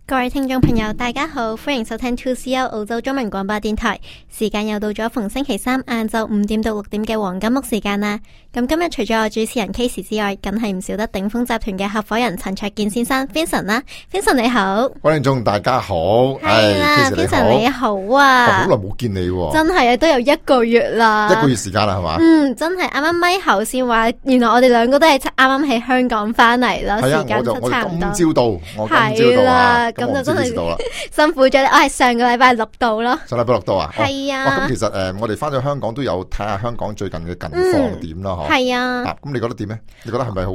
各位聽眾朋友大家好，歡迎收聽 2CR 澳洲中文廣播電台，時間又到咗逢星期三晏晝5點到6點嘅黃金屋時間啦。咁今日除咗我主持人 Casey 之外，梗係唔少得頂峰集團嘅合夥人陳焯楗先生 Vincent 啦。Vincent 你好。各位聽眾大家好。係啦 Vincent 你好啊。好耐冇見你喎。真係啊，都有1個月啦。1個月時間啦係嘛？真係啱啱咪後先話，原來我哋兩個都係啱啱喺香港翻嚟啦。時間就差唔多。我今朝到，我今朝到啊。咁就真係辛苦咗，我係上個禮拜6到咯。上禮拜6到啊？係啊。咁其實我哋翻咗香港都有睇下香港最近嘅近況點啦，嗬。係啊。咁你覺得點咧？你覺得係咪好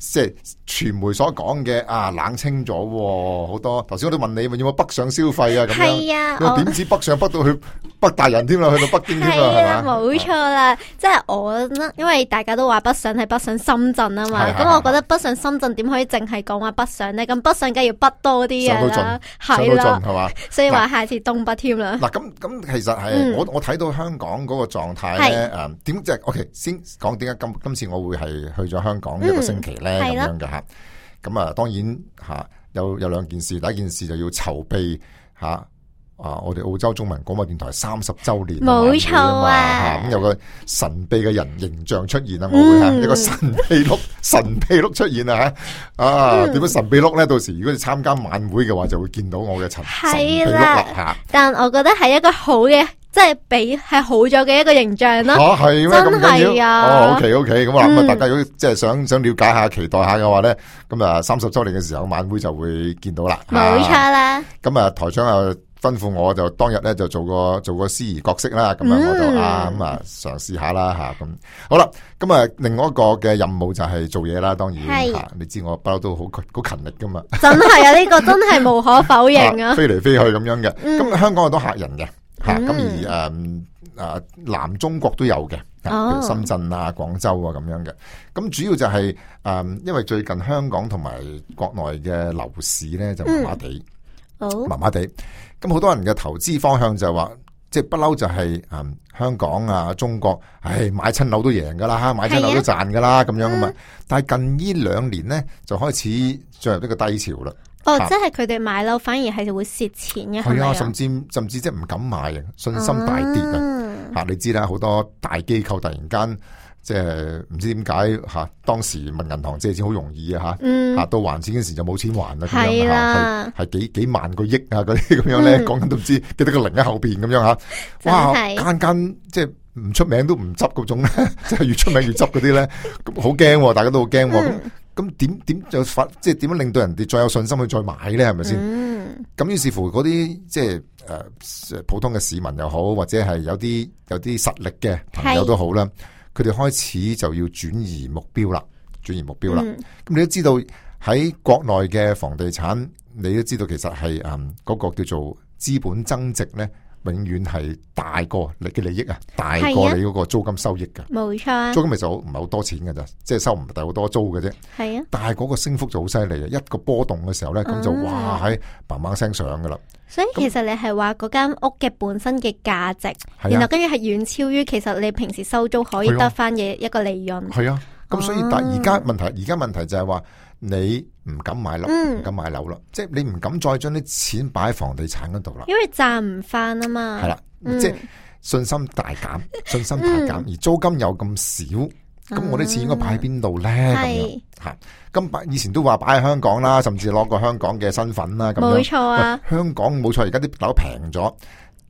即係傳媒所講嘅啊？冷清咗好多。頭先我都問你，有冇北上消費啊？咁樣。係啊。點知北上北到去北大人添啦，去到北京添啦，係嘛？冇錯啦，即係我因為大家都話北上係北上深圳啊嘛，咁我覺得北上深圳點可以淨係講話北上咧？咁北上梗係要北多啲嘅啦，係啦，係嘛？所以話下次東北添啦。嗱咁其實係我睇到香港嗰個狀態咧，點即係 OK 先講點解今次我會係去咗香港1個星期咧咁樣嘅吓。咁啊，當然吓有2件事，第一件事就要籌備吓。我哋澳洲中文廣播電台30周年，冇錯啊！咁有個神秘嘅人形象出現啊，我會吓一個神秘碌出現啊吓，點樣神秘碌咧？到時如果你參加晚會嘅話，就會見到我嘅神秘碌啦吓。但我覺得係一個好嘅，即係比係好咗嘅一個形象啦。係咩？真係啊！OK，咁啊，大家如果即係想了解下、期待下嘅話咧，咁啊30周年嘅時候晚會就會見到啦。冇錯啦。咁啊，台長又吩咐我就當日咧就做個司儀角色啦，咁樣我就嘗試下啦吓，咁好啦。咁啊，另外一個嘅任務就係做嘢啦，當然吓，你知我不嬲都好勤力噶嘛。真係啊，呢個真係無可否認啊。飛嚟飛去咁樣嘅，咁香港好多客人嘅吓，咁而南中國都有嘅，譬如深圳啊、廣州啊咁樣嘅。咁主要就係因為最近香港同埋國內嘅樓市咧就麻麻地。咁好多人嘅投資方向就係話，即係不嬲就係香港啊、中國，買親樓都贏噶啦，買親樓都賺噶啦，咁樣啊嘛。但係近呢2年咧，就開始進入一個低潮啦。即係佢哋買樓反而係會蝕錢嘅，係啊，甚至即係唔敢買啊，信心大跌啊。你知啦，好多大機構突然間。即係唔知點解吓，當時問銀行借錢好容易啊吓，到還錢嗰時就冇錢還啦，咁樣吓，係幾萬個億啊嗰啲咁樣咧，講緊都唔知幾多個零喺後邊咁樣吓，哇，間即係唔出名都唔執嗰種咧，即係越出名越執嗰啲咧，咁好驚，大家都好驚，咁點就即係點樣令到人哋再有信心去再買咧？係咪先？咁於是乎嗰啲即係普通嘅市民又好，或者係有啲實力嘅朋友都好啦。佢哋開始就要轉移目標啦。咁你都知道喺國內嘅房地產，你都知道其實係嗰個叫做資本增值咧，永遠係大過你嘅利益啊，大過你嗰個租金收益噶。冇錯，租金其實唔係好多錢噶咋，即係收唔係好多租嘅啫。係啊，但係嗰個升幅就好犀利啊！一個波動嘅時候咧，咁就哇喺嘭嘭聲上噶啦。所以其實你係話嗰間屋嘅本身嘅價值，然後跟住係遠超於其實你平時收租可以得翻嘅一個利潤。係啊，咁所以但而家問題就係話你唔敢買樓，唔敢買樓啦，即係你唔敢再將啲錢擺喺房地產嗰度啦，因為賺唔翻啊嘛。係啦，即係信心大減，而租金又咁少。咁我啲錢應該擺喺邊度咧？咁樣吓，咁以前都話擺喺香港啦，甚至攞個香港嘅身份啦，咁樣。冇錯啊，香港冇錯，而家啲樓平咗，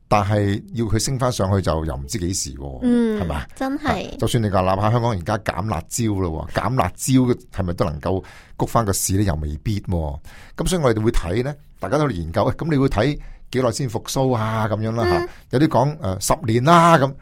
但係要佢升翻上去就又唔知幾時，係咪？真係。就算你話哪怕香港而家減辣椒咯，減辣椒係咪都能夠谷翻個市咧？又未必。咁所以我哋會睇咧，大家都研究。咁你會睇幾耐先復蘇啊？咁樣啦吓，有啲講10年啦咁。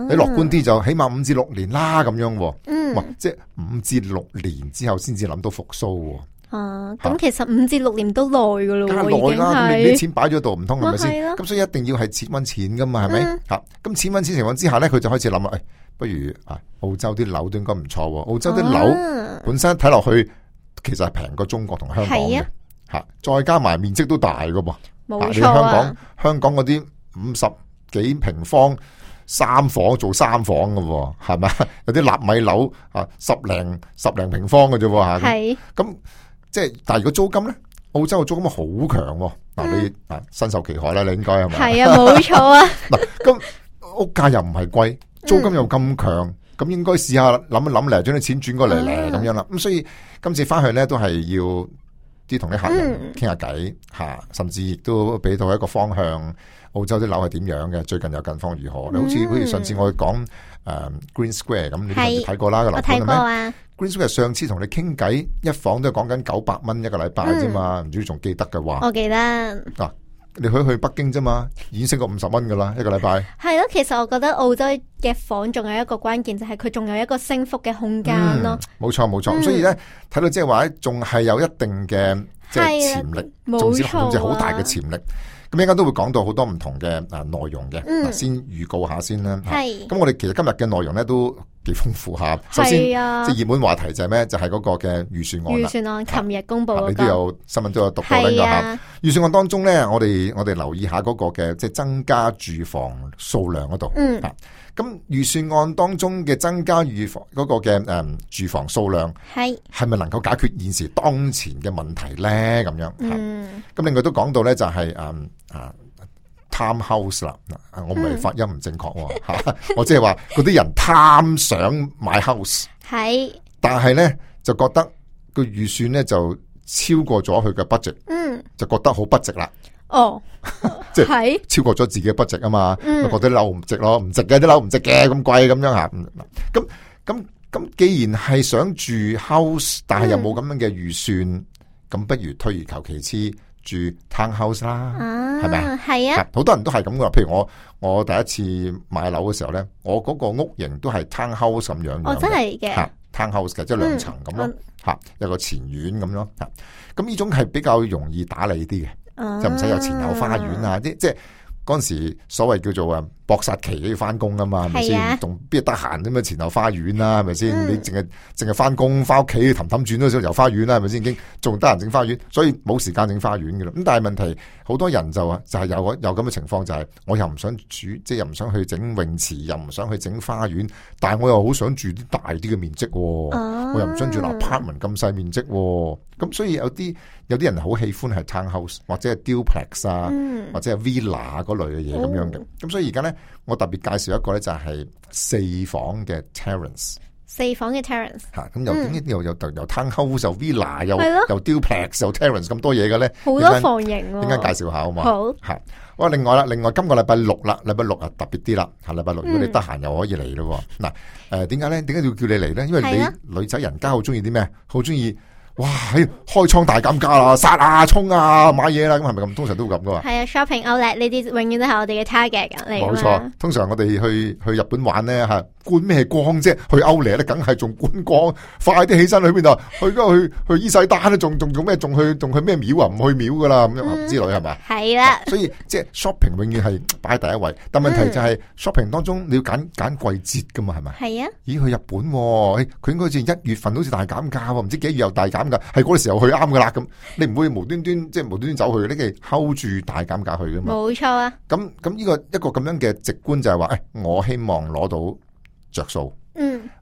你樂觀啲就起碼5至6年啦咁樣，哇！即係5至6年之後先至諗到復蘇。咁其實5至6年都耐噶咯，梗係耐啦。咁你啲錢擺咗度唔通係咪先？咁所以一定要係錢搵錢噶嘛，係咪？吓，咁錢搵錢情況之下咧，佢就開始諗啦。不如澳洲啲樓都應該唔錯。澳洲啲樓本身睇落去其實係平過中國同香港嘅，吓，再加埋面積都大噶噃。冇錯啊！香港嗰啲50幾平方。3房做3房嘅，係咪？有啲納米樓10零平方嘅啫，吓。係。咁即係，但係如果租金咧，澳洲嘅租金好強喎。嗱，你身受其害啦，你應該係咪？係啊，冇錯啊。嗱，咁屋價又唔係貴，租金又咁強，咁應該試下諗一諗嚟，將啲錢轉過嚟咧，咁樣啦。咁所以今次翻去咧，都係要啲同啲客人傾下偈吓，甚至亦都俾到一個方向。澳洲啲樓係點樣嘅？最近有近況如何？你好似上次我講Green Square 咁，你上次睇過啦個樓盤係咪？Green Square 上次同你傾偈，一房都係講緊900蚊一個禮拜啫嘛，唔知仲記得嘅話。我記得。嗱，你去北京啫嘛，已經升過50蚊噶啦，一個禮拜。係咯，其實我覺得澳洲嘅房仲有一個關鍵，就係佢仲有一個升幅嘅空間咯。冇錯冇錯，所以咧睇到即係話仲係有一定嘅即係潛力，總之好大嘅潛力。咁應該都會講到好多唔同嘅內容嘅，先預告下先啦。咁我哋其實今日嘅內容咧都幾豐富下。首先，即係熱門話題就係咩？就係嗰個嘅預算案啦。預算案琴日公布嗰個，你都有新聞都有讀過呢個吓。預算案當中咧，我哋留意下嗰個嘅即係增加住房數量嗰度。咁預算案當中嘅增加嗰個嘅住房數量係咪能夠解決現時當前嘅問題咧？咁樣。咁另外都講到咧就係townhouse 啦，我唔係發音唔正確吓，我即係話嗰啲人貪想買 house， 但係咧就覺得個預算咧就超過咗佢嘅 budget，就覺得好不值啦。即係超過咗自己嘅 budget 啊嘛，覺得啲樓唔值咯，唔值嘅啲樓唔值嘅咁貴咁樣吓。咁既然係想住 house， 但係又冇咁樣嘅預算，咁不如退而求其次。住 townhouse 啦，係咪啊？係啊，好多人都係咁噶。譬如我第一次買樓嘅時候咧，我嗰個屋型都係 townhouse 咁樣嘅。真係嘅。townhouse 嘅，即係2層咁咯。有個前院咁咯。咁呢種係比較容易打理啲嘅，就唔使有前後花園啊。即係嗰陣時所謂叫做搏殺期都要翻工啊嘛，係咪先？仲邊得閒啫嘛？前後花園啦，係咪先？你淨係翻工翻屋企氹轉嗰時候遊花園啦，係咪先？已經仲得閒整花園，所以冇時間整花園噶啦。咁但係問題，好多人就係有咁嘅情況，就係我又唔想住，即係又唔想去整泳池，又唔想去整花園，但係我又好想住啲大啲嘅面積，我又唔想住樓 apartment 咁細面積。咁所以有啲人好喜歡係 townhouse 或者係 duplex 啊，或者係 villa 嗰類嘅嘢咁樣嘅。咁所以而家咧，我特別介紹一個咧，就係4房嘅 terrace。4房嘅 terrace 吓，咁由 townhouse 又 villa 又 duplex 又 terrace 咁多嘢嘅咧，好多房型。點解介紹下好嘛？好吓。哇，另外今個禮拜六啦，禮拜六啊特別啲啦。下禮拜六如果你得閒又可以嚟咯。嗱，點解咧？點解要叫你嚟咧？因為你女仔人家好中意啲咩？好中意。哇！開倉大減價啦，殺啊，衝啊，買嘢啦，咁係咪咁？通常都會咁噶嘛？係啊 ，shopping outlet 呢啲永遠都係我哋嘅 target 嚟。冇錯，通常我哋去日本玩咧吓，觀咩光啫？去outlet咧，梗係仲觀光，快啲起身去邊度？去伊勢丹咧，仲咩？仲去咩廟啊？唔去廟噶啦，咁樣之類係咪？係啦，所以即係 shopping 永遠係擺第一位，但問題就係 shopping 當中你要揀季節噶嘛，係咪？係啊。咦，去日本佢應該好似1月份好似大減價喎，唔知幾月又大減。係嗰個時候去啱噶啦，咁你唔會無端端走去，你係 hold 住大減價去噶嘛？冇錯啊！咁呢個一個咁樣嘅直觀就係話，我希望攞到着數，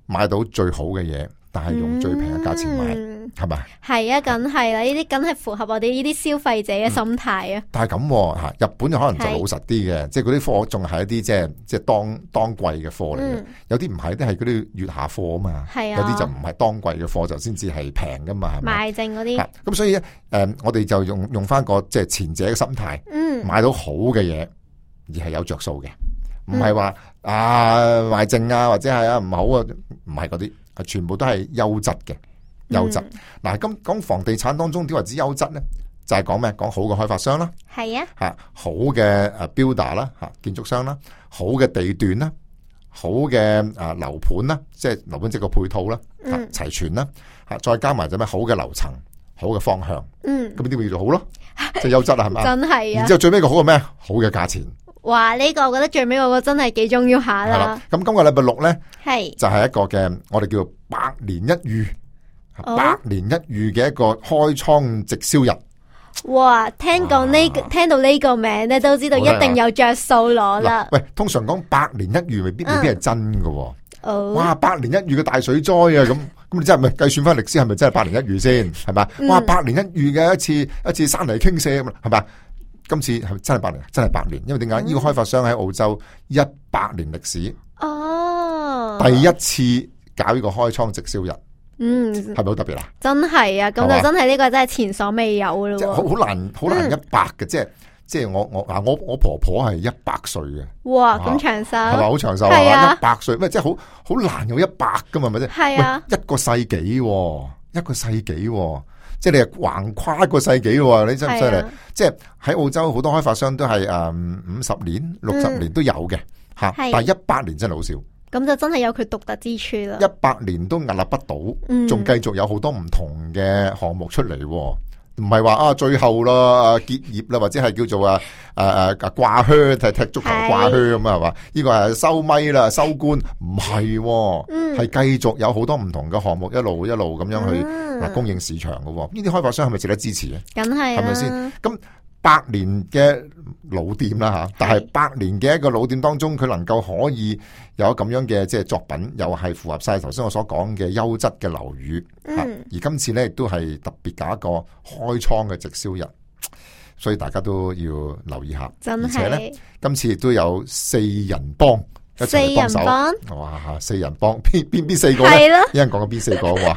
買到最好嘅嘢，但係用最平嘅價錢買，係咪？係啊，梗係啦，呢啲梗係符合我哋呢啲消費者嘅心態啊！但係咁吓，日本就可能就老實啲嘅，即係嗰啲貨仲係一啲即係當季嘅貨嚟嘅，有啲唔係，都係嗰啲月下貨啊嘛，有啲就唔係當季嘅貨就先至係平噶嘛，係咪？賣剩嗰啲。咁所以我哋就用翻個即係前者嘅心態，買到好嘅嘢，而係有着數嘅，唔係話賣剩啊，或者係唔好啊，唔係嗰啲。全部都係優質嘅，優質。嗱，咁講房地產當中點為之優質咧？就係講咩？講好嘅開發商啦，係啊，吓好嘅builder 啦，吓建築商啦，好嘅地段啦，好嘅樓盤啦，即係樓盤即係個配套啦，齊全啦，吓再加埋就咩好嘅樓層，好嘅方向，咁呢啲咪叫做好咯，即係優質啦，係咪？真係啊！然之後最尾個好嘅咩？好嘅價錢。哇！呢個我覺得最尾嗰個真係幾重要下啦。咁今個禮拜六咧，就係一個嘅我哋叫做百年一遇，百年一遇嘅一個開倉直銷日。哇！聽到呢個名咧，都知道一定有着數攞啦。喂，通常講百年一遇未必係真噶。哇！百年一遇嘅大水災啊，咁你真係咪計算翻歷史係咪真係百年一遇先？係咪？哇，百年一遇嘅一次山泥傾瀉咁，係咪？今次係咪真係百年？真係百年，因為點解？呢個開發商喺澳洲100年歷史，第一次搞呢個開倉直銷日，係咪好特別啊？真係啊，咁就真係呢個真係前所未有咯。即係好難100嘅，即係我婆婆係100歲嘅。哇，咁長壽係咪好長壽啊？100歲咩？即係好難有100噶嘛？係咪先？係啊，一個世紀，一個世紀。即係你係橫跨一個世紀喎，你真係犀利！即係喺澳洲好多開發商都係50年、60年都有嘅嚇，但係100年真係好少。咁就真係有佢獨特之處啦。100年都屹立不倒，仲繼續有好多唔同嘅項目出嚟，唔係話最後啦結業啦，或者係叫做掛靴踢足球掛靴咁啊，係嘛？呢個係收咪啦，收官，唔係，係繼續有好多唔同嘅項目，一路咁樣去供應市場嘅。呢啲開發商係咪值得支持嘅？梗係，係咪先？咁100年嘅老店啦吓，但係100年嘅一個老店當中，佢能夠可以有咁樣嘅即係作品，又係符合晒頭先我所講嘅優質嘅樓宇。而今次咧亦都係特別搞一個開倉嘅直銷日，所以大家都要留意下。而且咧，今次亦都有4人幫一齊嚟幫手。哇！4人幫邊4個咧？一人講緊邊4個哇？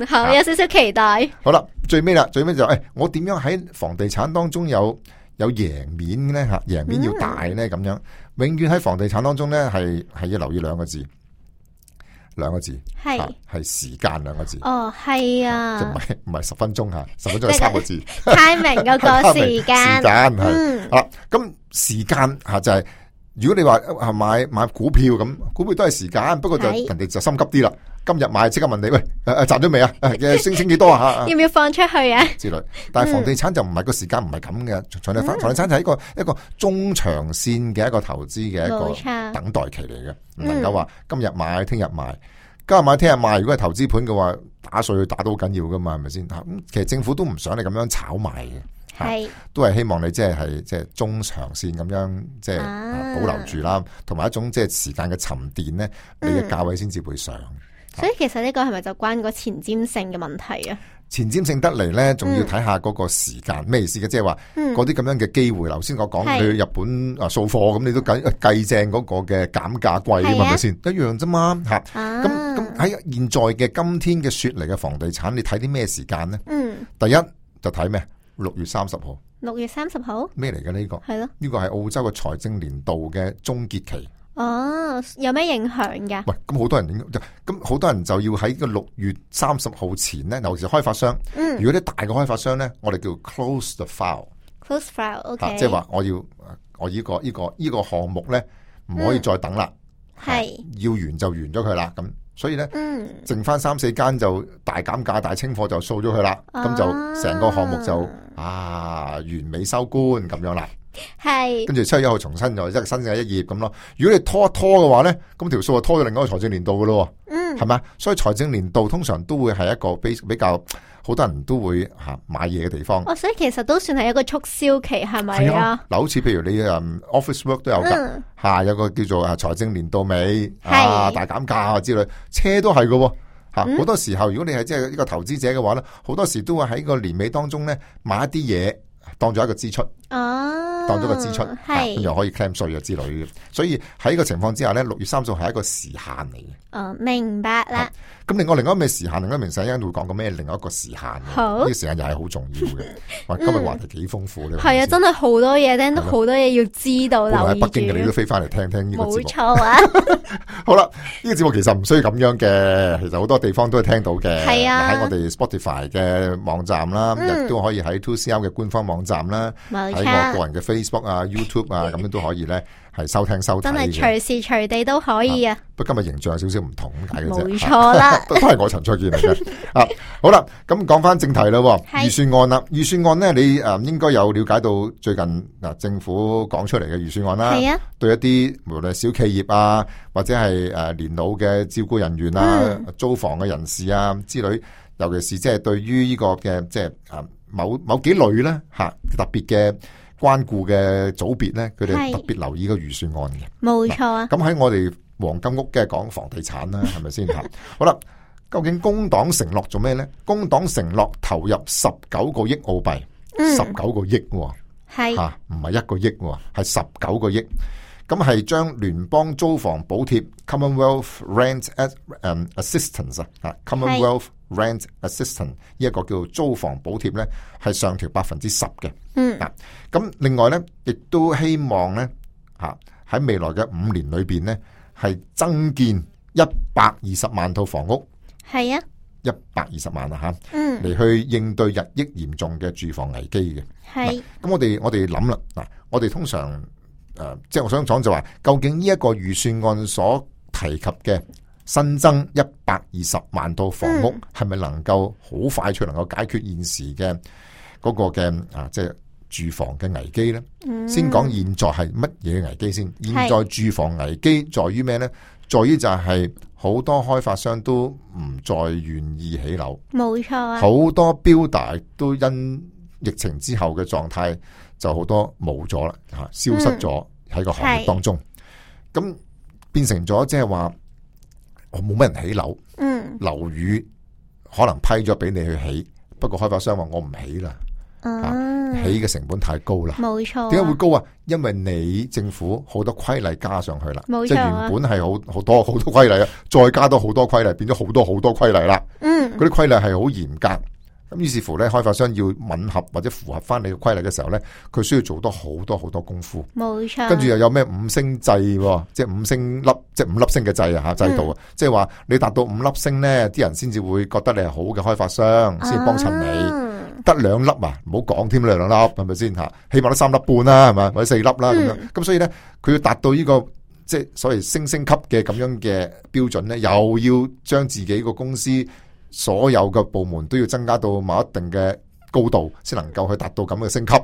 好，有少少期待。好啦，最尾就我點樣喺房地產當中有贏面咧？吓，贏面要大咧咁樣。永遠喺房地產當中咧，係要留意2個字係時間2個字。哦，係啊，即唔係10分鐘吓，10分鐘係3個字。timing 嗰個時間。時間係好啦，咁時間吓就係如果你話買股票咁，股票都係時間，不過就人哋就心急啲啦。今日買即刻問你，喂，賺咗未啊？升幾多啊？要唔要放出去啊？之類。但係房地產就唔係個時間，唔係咁嘅。房地產就係一個中長線嘅一個投資嘅一個等待期嚟嘅，唔能夠話今日買聽日賣，今日買聽日賣。如果係投資盤嘅話，打稅打到好緊要噶嘛，係咪先？咁其實政府都唔想你咁樣炒賣嘅。係，都係希望你即係中長線咁樣即係保留住啦，同埋一種即係時間嘅沉澱咧，你嘅價位先至會上。所以其實呢個係咪就關個前瞻性嘅問題啊？前瞻性得嚟咧，仲要睇下嗰個時間咩意思嘅？即係話嗰啲咁樣嘅機會。頭先我講去日本掃貨咁，你都計正嗰個嘅減價貴啊嘛，係咪先？一樣啫嘛吓。咁喺現在嘅今天嘅雪梨嘅房地產，你睇啲咩時間咧？第一就睇咩？6月30號。6月30號咩嚟嘅呢個？係咯，呢個係澳洲嘅財政年度嘅終結期。哦，有咩影響㗎？喂，咁好多人就要喺個6月30號前咧，尤其是開發商。如果啲大嘅開發商咧，我哋叫 close the file。close file，OK。即係話我呢個項目咧唔可以再等啦，係要完就完咗佢啦。咁所以咧，剩翻3-4間就大減價、大清貨就掃咗佢啦。咁就成個項目就完美收官咁樣啦。係，跟住7月1號重新又一個新嘅一頁咁咯。如果你拖一拖嘅話咧，咁條數就拖咗另外一個財政年度噶咯。係咪？所以財政年度通常都會係一個比較好多人都會買嘢嘅地方。所以其實都算係一個促銷期，係咪啊？嗱，好似譬如你office work 都有噶，有個叫做財政年度尾大減價之類，車都係噶。好多時候如果你係即係一個投資者嘅話咧，好多時都會喺個年尾當中咧買一啲嘢當咗一個支出。當咗個支出，咁又可以 claim 稅啊之類嘅，所以喺呢個情況之下咧，6月30號係一個時限嚟嘅。明白啦。咁另外咩時限？另外明細一陣會講個咩？另外一個時限，呢個時間又係好重要嘅。哇，今日話題幾豐富咧。係啊，真係好多嘢聽，都好多嘢要知道。喺北京嘅你都飛翻嚟聽呢個節目。冇錯啊。好啦，呢個節目其實唔需要咁樣嘅，其實好多地方都係聽到嘅。係啊，喺我哋 Spotify 嘅網站啦，亦都可以喺 2CR 嘅官方網站啦，喺我個人嘅Facebook 啊、YouTube 啊，咁樣都可以咧，係收聽收睇。真係隨時隨地都可以啊！不過今日形象有少少唔同咁解嘅啫。冇錯啦，都係我陳焯楗嚟嘅。好啦，咁講翻正題啦，預算案啦，預算案咧，你應該有了解到最近政府講出嚟嘅預算案啦。係啊，對一啲無論小企業啊，或者係年老嘅照顧人員啊、租房嘅人士啊之類，尤其是即係對於呢個嘅即係某幾類咧特別嘅關顧嘅組別咧，佢哋特別留意個預算案嘅。冇錯啊。咁喺我哋黃金屋嘅講房地產啦，係咪先吓？好啦，究竟工黨承諾做咩呢？工黨承諾投入19個億澳幣，19個億係吓，唔係1個億，係19個億。咁係將聯邦租房補貼 Commonwealth Rent Assistance Commonwealth Rent Assistance 呢一個叫租房補貼呢，係上調10%嘅。咁另外呢，亦都希望呢，喺未來嘅5年裏邊呢，係增建120萬套房屋。係啊，120萬啊吓，嚟去應對日益嚴重嘅住房危機嘅。係，咁我哋諗啦，嗱，我哋通常即係我想講就話，究竟呢一個預算案所提及嘅新增120萬套房屋，係咪能夠好快脆能夠解決現時嘅嗰個嘅即係住房嘅危機呢？先講現在係乜嘢危機先？現在住房危機在於咩呢？在於就係好多開發商都唔再願意起樓，冇錯啊！好多builder都因疫情之後嘅狀態就好多冇咗啦，消失咗喺個行業當中，咁變成咗即係話我冇乜人起樓，樓宇可能批咗俾你去起，不過開發商話我唔起啦。起嘅成本太高啦，冇錯。點解會高啊？因為你政府好多規例加上去啦，冇錯。即係原本係好多規例啊，再加多好多規例，變咗好多規例啦。嗰啲規例係好嚴格，咁於是乎咧，開發商要吻合或者符合翻你嘅規例嘅時候咧，佢需要做多好多功夫。冇錯。跟住又有咩5星制，即係5星粒，即係5粒星嘅制啊制度啊，即係話你達到5粒星咧，啲人先至會覺得你係好嘅開發商，先幫襯你。得2粒啊，唔好講添啦，2粒係咪先吓？起碼都3粒半啦，係咪？或者4粒啦咁樣。咁所以咧，佢要達到呢個即係所謂星級嘅咁樣嘅標準咧，又要將自己個公司所有嘅部門都要增加到某一定嘅高度，先能夠去達到咁嘅升級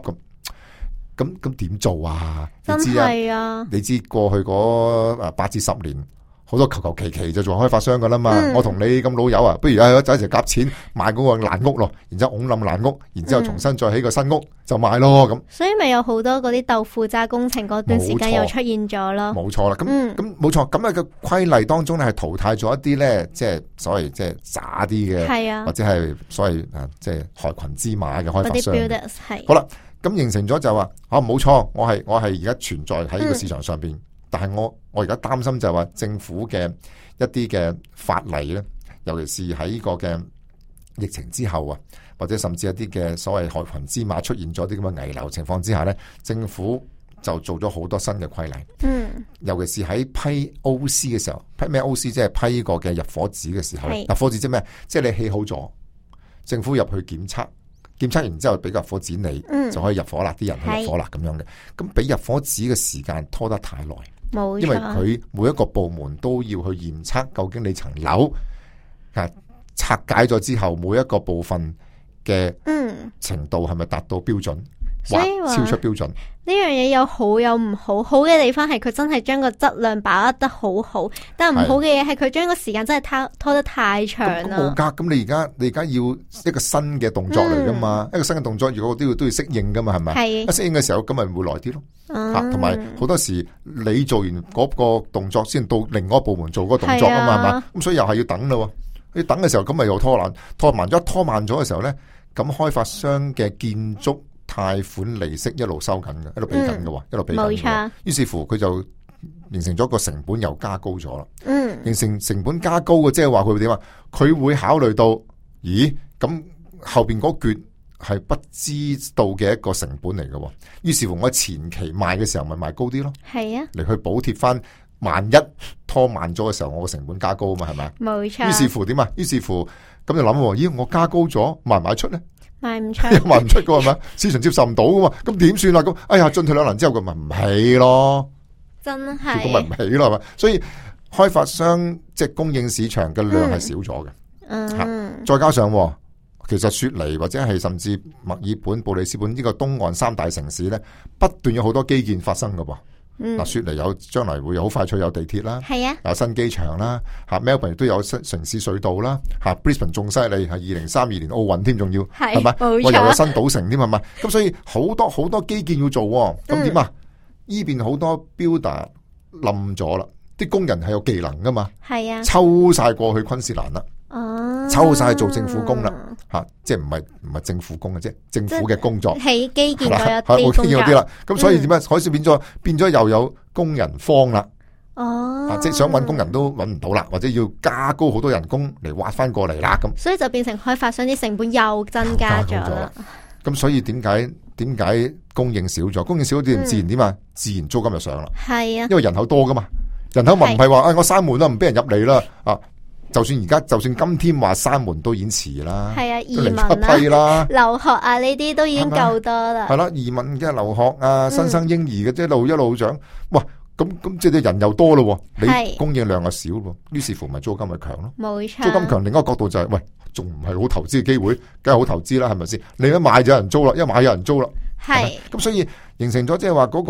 咁點做啊？真係啊！你知過去嗰8至10年。好多求其就做開發商噶啦嘛，我同你咁老友啊，不如就一齊夾錢買嗰個爛屋咯，然之後拱冧爛屋，然之後重新再起個新屋就賣咯咁。所以咪有好多嗰啲豆腐渣工程嗰段時間又出現咗咯。冇錯啦，咁冇錯，咁嘅規例當中咧係淘汰咗一啲咧，即係所謂即係渣啲嘅，或者係所謂即係害群之馬嘅開發商。係好啦，咁形成咗就話冇錯，我係而家存在喺呢個市場上邊。但係我而家擔心就係話政府嘅一啲嘅法例咧，尤其是喺呢個嘅疫情之後啊，或者甚至一啲嘅所謂害群之馬出現咗啲咁嘅危樓情況之下咧，政府就做咗好多新嘅規例。尤其是喺批 OC 嘅時候，批咩 OC 即係批個嘅入伙紙嘅時候咧，入伙紙即係咩？即係你起好咗，政府入去檢測完之後俾個入伙紙你，就可以入伙啦，啲人去入伙啦咁樣嘅。咁俾入伙紙嘅時間拖得太耐。因為佢每一個部門都要去驗測，究竟你層樓拆解咗之後，每一個部分嘅程度係咪達到標準，或超出標準？呢樣嘢有好有唔好，好嘅地方係佢真係將個質量把握得好好，但係唔好嘅嘢係佢將個時間真係拖得太長啦。冇㗎，咁你而家要一個新嘅動作嚟噶嘛？一個新嘅動作，如果都要適應噶嘛，係咪？一適應嘅時候，咁咪會耐啲咯。同埋好多時你做完嗰個動作，先到另外一個部門做嗰個動作啊嘛，係嘛？咁所以又係要等咯。你等嘅時候，咁咪又拖慢咗嘅時候咧，咁開發商嘅建築貸款利息一路收緊嘅，一路俾緊嘅，一路俾緊。冇錯。於是乎佢就形成咗個成本又加高咗啦。形成成本加高嘅，即係話佢會點啊？佢會考慮到，咦？咁後邊嗰橛係不知道嘅一個成本嚟嘅。於是乎我前期賣嘅時候咪賣高啲咯。係啊。嚟去補貼翻，萬一拖慢咗嘅時候，我個成本加高啊嘛，係咪？冇錯。於是乎點啊？於是乎咁就諗，咦？我加高咗，賣唔賣出咧？賣唔出，賣唔出噶係咪？市場接受唔到噶嘛？咁點算啊？咁哎呀，進退兩難之後，佢咪唔起咯？真係，結果咪唔起咯，係咪？所以開發商即係供應市場嘅量係少咗嘅。再加上其實雪梨或者係甚至墨爾本、布里斯本呢個東岸3大城市咧，不斷有好多基建發生噶噃。嗱，雪梨將來會有好快脆有地鐵啦，係啊，有新機場啦，吓 Melbourne 亦都有城市隧道啦，吓 Brisbane 仲犀利，係2032年奧運添，仲要係咪？我又有新賭城添，係咪？咁所以好多基建要做，咁點啊？呢邊好多 builder 冧咗啦，啲工人係有技能噶嘛，係啊，抽晒過去昆士蘭啦，抽晒做政府工啦，即係唔係政府工嘅啫，政府嘅工作，起基建嗰一啲工作啦。咁所以點解海嘯變咗又有工人荒啦？即係想搵工人都搵唔到啦，或者要加高好多人工嚟挖翻過嚟啦，咁所以就變成開發商啲成本又增加咗啦。咁所以點解供應少咗？供應少啲自然點啊？自然租金就上啦。係啊，因為人口多噶嘛，人口咪唔係話我閂門啦，唔俾人入嚟啦。就算今天話閂門都已經遲啦。係啊，移民啦、留學啊呢啲都已經夠多啦。係啦，移民嘅留學啊、新生嬰兒嘅即係一路長。哇，咁即係人又多咯，你供應量又少咯，於是乎咪租金咪強咯。冇錯，租金強，另一個角度就係喂，仲唔係好投資嘅機會？梗係好投資啦，係咪先？你一買就有人租啦，一買有人租啦。係咁，所以形成咗即係話嗰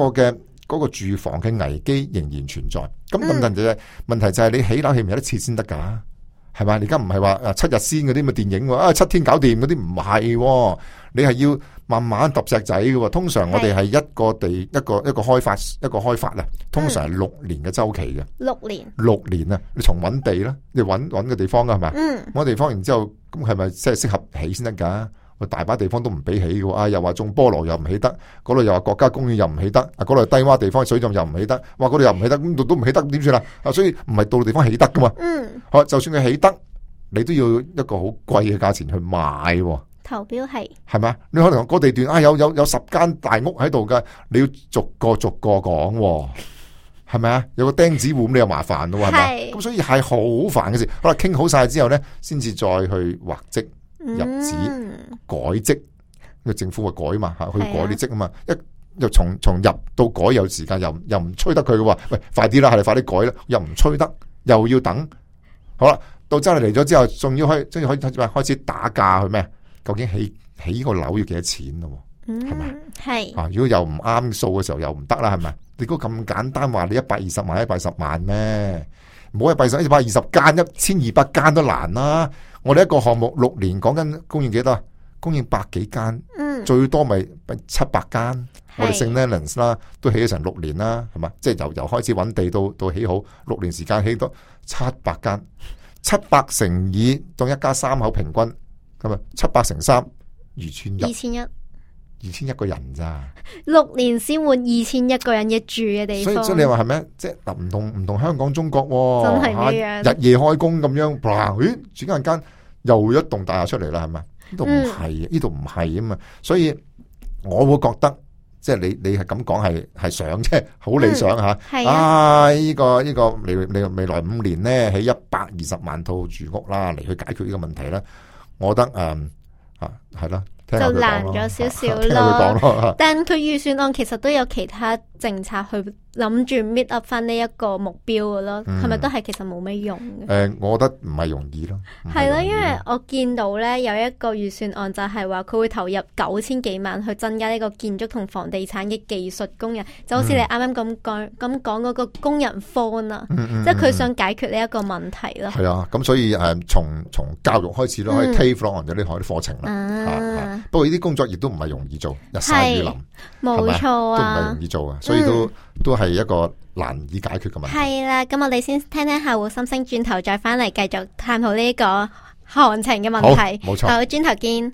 個住房嘅危機仍然存在。咁問題就係你起樓起唔起得切先得噶，係咪？你而家唔係話7日先嗰啲咪電影7天搞掂嗰啲，唔係，你係要慢慢揼石仔嘅。通常我哋係一個地一個開發啦，通常係6年嘅周期嘅。6年啊，你從揾地啦，你揾個地方噶係咪？揾地方，然之後咁係咪即係適合起先得噶？大把地方都唔俾起嘅，又話種菠蘿又唔起得，嗰度又話國家公園又唔起得，嗰度低洼地方水浸又唔起得，哇嗰度又唔起得，咁度都唔起得，點算啊？所以唔係到地方起得噶嘛。好，就算佢起得，你都要一個好貴嘅價錢去買。投標係咪？你可能個地段有10間大屋喺度噶，你要逐個講，係咪啊？有個釘子戶咁，你又麻煩咯，係咪？咁所以係好煩嘅事。好啦，傾好晒之後咧，先至再去劃職。入職改職，因為政府會改嘛，去改啲職啊嘛，又從入到改有時間，又唔催得佢嘅話，喂，快啲啦，係你快啲改啦，又唔催得，又要等，好啦，到真係嚟咗之後，仲要開始打價去咩？究竟起個樓要幾多錢咯？係咪？係如果又唔啱數嘅時候又唔得啦，係咪？你估咁簡單話你120萬110萬咩？唔好120 120間1200間都難啦。我哋一個項目6年講緊供應幾多？供應100幾間，最多咪700間。我哋聖 Leonards 啦，都起咗成6年啦，係嘛？即係由開始揾地到起好6年時間起到700間，700乘以當一家3口平均咁啊，700乘3 2100個人咋？6年先換2100個人嘅住嘅地方。所以你話係咪？即係唔同香港中國真係咩樣？日夜開工咁樣，咦？轉間又一棟大廈出嚟啦，係咪？呢度唔係，呢度唔係啊嘛。所以我會覺得，即係你係咁講係想即係好理想吓。呢個未來5年咧起120萬套住屋啦，嚟去解決呢個問題啦。我覺得係啦。就難咗少少咯，但佢預算案其實都有其他政策去諗住 meet up 翻呢一個目標嘅咯，係咪都係其實冇咩用嘅？我覺得唔係容易咯。係咯，因為我見到咧有一個預算案就係話佢會投入9000幾萬去增加呢個建築同房地產嘅技術工人，就好似你啱啱咁講嗰個工人荒啊，即係佢想解決呢一個問題咯。係啊，咁所以從教育開始咯，可以 TAFE 咯，或者呢啲課程啦。不過呢啲工作亦都唔係容易做，日曬雨淋，冇錯啊，都唔係容易做啊，所以都係一個難以解決嘅問題。係啦，咁我哋先聽聽客戶心聲，轉頭再翻嚟繼續探討呢個行情嘅問題。冇錯，好，轉頭見。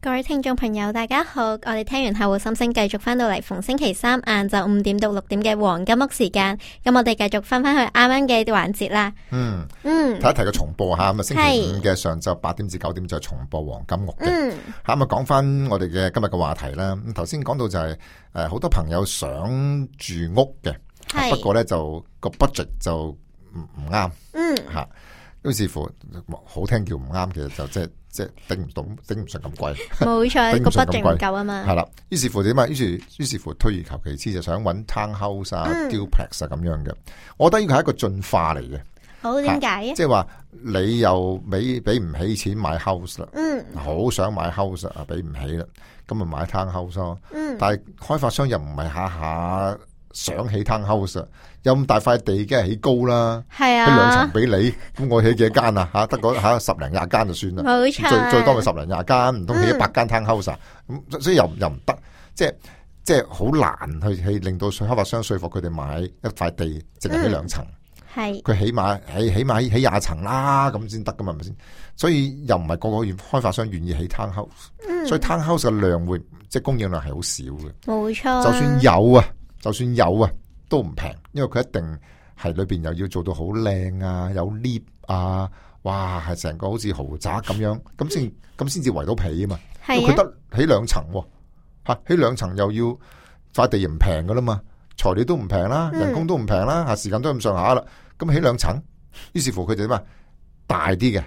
各位聽眾朋友大家好，我哋聽完客戶心聲，繼續翻到嚟逢星期3晏晝5點到6點嘅黃金屋時間，咁我哋繼續翻去啱啱嘅環節啦。提一提個重播吓，咁啊星期5嘅上晝8點至9點就重播黃金屋嘅。咁啊講翻我哋嘅今日嘅話題啦。咁頭先講到就係好多朋友想住屋嘅，不過咧就個 budget 就唔啱，吓，於是乎好聽叫唔啱，其實就即係頂唔順咁貴，冇錯，個 budget 唔夠啊嘛。係啦，於是乎點啊？於是乎退而求其次，就想揾 townhouse 啊、duplex 啊咁樣嘅。我覺得呢個係一個進化嚟嘅。好，點解啊？即係話你又俾唔起錢買 house 啦，好想買 house 啊，俾唔起啦，咁咪買 townhouse 咯。但係開發商又唔係下下想起 townhouse 有咁大塊地，梗係起高啦，係啊，起2層俾你，咁我起幾多間啊？吓，得嗰10零20間就算啦，冇錯，最多咪10零20間，唔通起100間 townhouse 啊？咁所以又唔得，即係好難去令到開發商說服佢哋買一塊地，淨係起2層。係佢起碼起20層啦，咁先得噶嘛，係咪先？所以又唔係個個開發商願意起 townhouse，所以 townhouse 嘅量會即係供應量係好少嘅。冇錯，就算有啊，都唔平，因為佢一定係裏邊又要做到好靚啊，有 lift 啊，哇，係成個好似豪宅咁樣，咁先至圍到皮啊嘛。因為佢得起2層喎，吓，起2層又要塊地唔平噶啦嘛。材料都唔平啦，人工都唔平啦，時間都咁上下啦。咁起2層，於是乎佢哋點啊？大啲嘅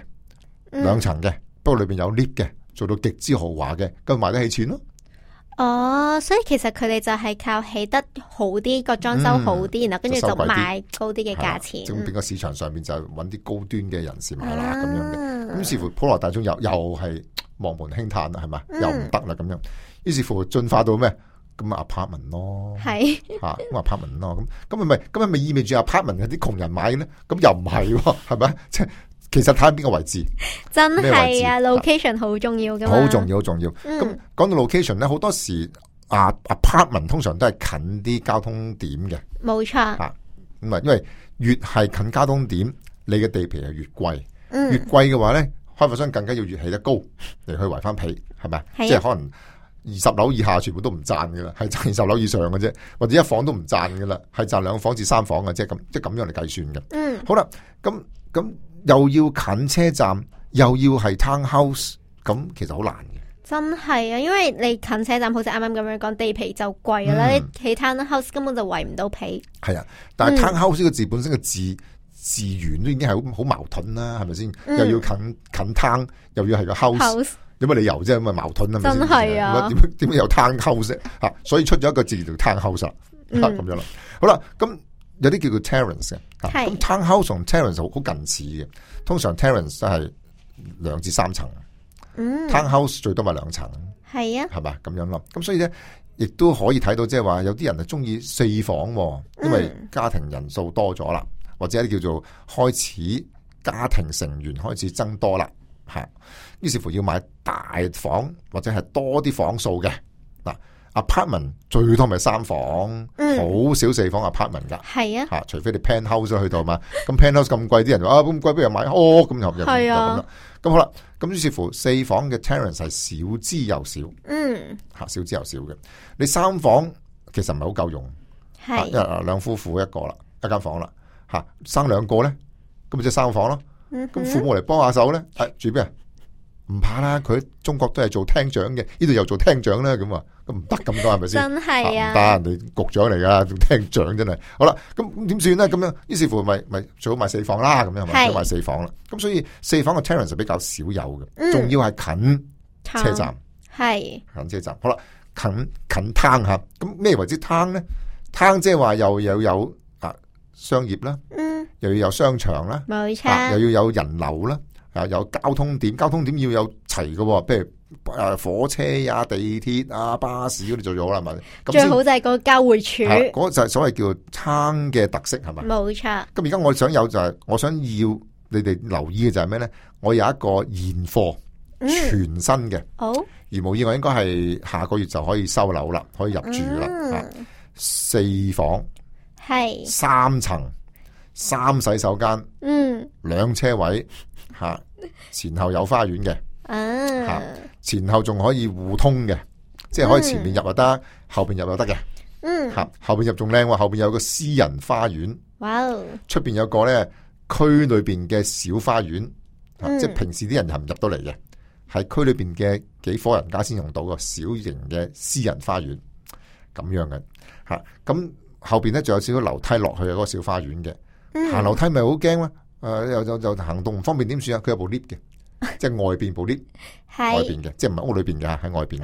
2層嘅，不過裏邊有 lift 嘅，做到極之豪華嘅，咁賣得起錢咯。哦，所以其實佢哋就係靠起得好啲，個裝修好啲，然後跟住就賣高啲嘅價錢。咁變個市場上面就揾啲高端嘅人士買啦，咁樣嘅。咁於是乎普羅大眾又係望門輕嘆啦，係咪？又唔得啦咁樣。於是乎進化到咩？咁 apartment 咯，係吓咁 apartment 咯，咁係咪意味住 apartment 係啲窮人買嘅咧？咁又唔係，係咪？即係其實睇下邊個位置，真係啊 ，location 好重要噶嘛，好重要，好重要。咁講到 location 咧，好多時apartment 通常都係近啲交通點嘅，冇錯。咁因為越係近交通點，你嘅地皮係越貴，越貴嘅話咧，開發商更加要越起得高嚟去圍翻皮，係咪？即係可能20樓以下全部都唔賺噶啦，係賺20樓以上嘅啫，或者1房都唔賺噶啦，係賺2房至3房嘅，即係咁樣嚟計算嘅。好啦，咁又要近車站，又要係 townhouse，咁其實好難嘅。真係啊，因為你近車站，好似啱啱咁樣講，地皮就貴啦，你起 townhouse 根本就圍唔到皮。係啊，但係 townhouse 呢個字本身嘅字源都已經係好矛盾啦，係咪先？又要近 town，又要係個 house。有乜理由啫？咁啊矛盾啊，真係啊！點解有 townhouse 吓？所以出咗一個字叫 townhouse 啦，咁樣啦。好啦，咁有啲叫做 terrace 嘅，咁 townhouse 同 terrace 好近似嘅。通常 terrace 都係2至3層，townhouse 最多咪2層，係啊，係咪咁樣咯？咁所以咧，亦都可以睇到，即係話有啲人係中意4房，因為家庭人數多咗啦，或者一啲叫做開始家庭成員開始增多啦。係，於是乎要買大房或者係多啲房數嘅嗱 ，apartment 最多咪3房，好少4房 apartment 噶，係啊，吓除非你 penthouse 去到嘛，咁 penthouse 咁貴，啲人話咁貴不如買咁又係啊，咁好啦，咁於是乎4房嘅 terrace 係少之又少，吓少之又少嘅，你3房其實唔係好夠用，係2夫婦一個啦，一間房啦，吓生2個咧，咁咪即係3房咯。咁父母嚟幫下手咧，住邊啊？唔怕啦，佢中國都係做廳長嘅，呢度又做廳長啦，咁啊，咁唔得咁多係咪先？真係啊，唔得，人哋局長嚟噶，做廳長真係。好啦，咁點算咧？咁樣，於是乎咪最好買4房啦，咁樣咪買4房啦。咁所以4房嘅 terrace 比較少有嘅，仲要係近車站，係近車站。好啦，近灘吓，咁咩為之灘咧？灘即係話又有商業啦。又要有商場啦，冇錯，又要有人流啦，有交通點，交通點要有齊嘅，譬如火車啊、地鐵啊、巴士嗰啲做咗啦，係咪？最好就係個交匯處，嗰個就係所謂叫灘嘅特色，係咪？冇錯。咁而家我想有就係，我想要你哋留意嘅就係咩咧？我有一個現貨，全新嘅，好，如無意外應該係下個月就可以收樓啦，可以入住啦，4房，係3層。3洗手間，2車位，吓前後有花園嘅，吓前後仲可以互通嘅，即係可以前面入又得，後邊入又得嘅，吓後邊入仲靚喎，後邊有個私人花園，哇，出邊有個咧區裏邊嘅小花園，即係平時啲人係唔入到嚟嘅，係區裏邊嘅幾伙人家先用到個小型嘅私人花園，咁樣嘅，吓咁後邊咧仲有少少樓梯落去嗰個小花園嘅。行樓梯咪好驚啦，又行動唔方便點算啊？佢有部 lift 嘅，即係外邊部 lift，外邊嘅，即係唔係屋裏邊嘅，喺外邊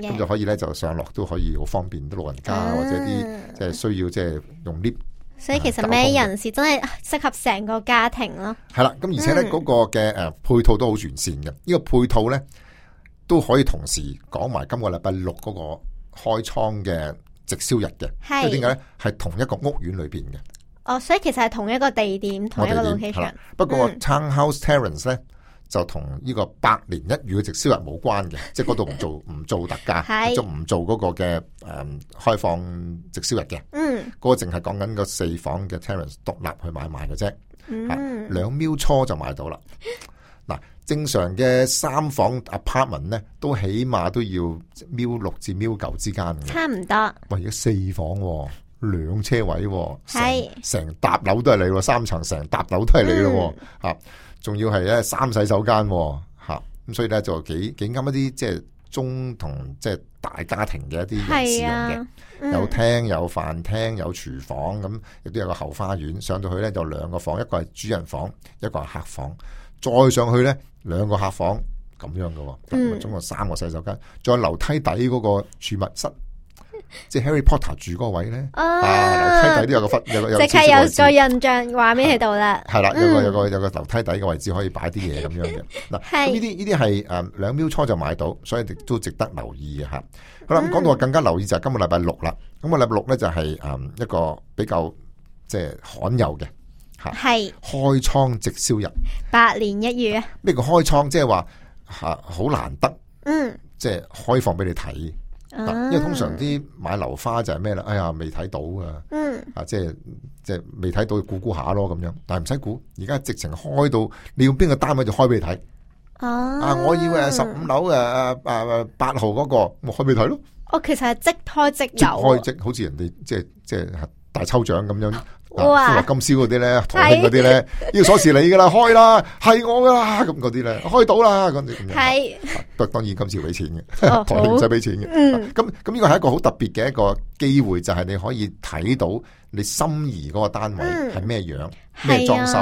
嘅，咁就可以咧就上落都可以好方便，啲老人家或者啲即係需要即係用 lift。所以其實咩人士真係適合成個家庭咯。係啦，咁而且咧嗰個嘅配套都好完善嘅，呢個配套咧都可以同時講埋今個禮拜6嗰個開倉嘅直銷日嘅，因為點解咧？係同一個屋苑裏邊嘅。哦，所以其實係同一個地點，同一個 location。不過 Townhouse Terrace 咧就同呢個百年一遇嘅直銷日冇關嘅，即係嗰度唔做特價，就唔做嗰個嘅開放直銷日嘅。嗰個淨係講緊個4房嘅 Terrace 獨立去買賣嘅啫。2秒初就買到啦。嗱，正常嘅3房 apartment 咧，都起碼都要1.6秒至1.9秒之間嘅。差唔多。喂，而家4房2車位，成搭樓都係你，3層成搭樓都係你咯，吓，仲要係咧3洗手間，吓，咁所以咧就幾啱一啲即係中同即係大家庭嘅一啲人士用嘅，有廳有飯廳有廚房，咁亦都有個後花園，上到去咧就2個房，一個係主人房，一個係客房，再上去咧2個客房咁樣嘅，總共3個洗手間，仲有樓梯底嗰個儲物室。即係 Harry Potter 住嗰個位咧，樓梯底都有個忽，有即刻有個印象畫面喺度啦。係啦，有個樓梯底嘅位置可以擺啲嘢咁樣嘅。嗱，咁呢啲係2秒初就買到，所以都值得留意嘅吓。好啦，咁講到更加留意就係今個禮拜6啦。咁個禮拜6咧就係一個比較即係罕有嘅吓，係開倉直銷日，百年一遇啊！咩叫開倉？即係話好難得，即係開放俾你睇。因為通常啲買樓花就係咩啦？哎呀，未睇到啊！即係未睇到，估下咯咁樣。但係唔使估，而家直情開到你要邊個單位就開俾你睇。我要15樓8號嗰個，我開俾你睇咯。其實係即開即有，好似人哋即係大抽獎咁樣。哇！金宵嗰啲咧，台慶嗰啲咧，呢個鎖匙你噶啦，開啦，係我噶啦，咁嗰啲咧，開到啦，咁樣。係，不過當然今次要俾錢嘅，台慶唔使俾錢嘅。咁呢個係一個好特別嘅一個機會，就係你可以睇到你心儀嗰個單位係咩樣，咩裝修，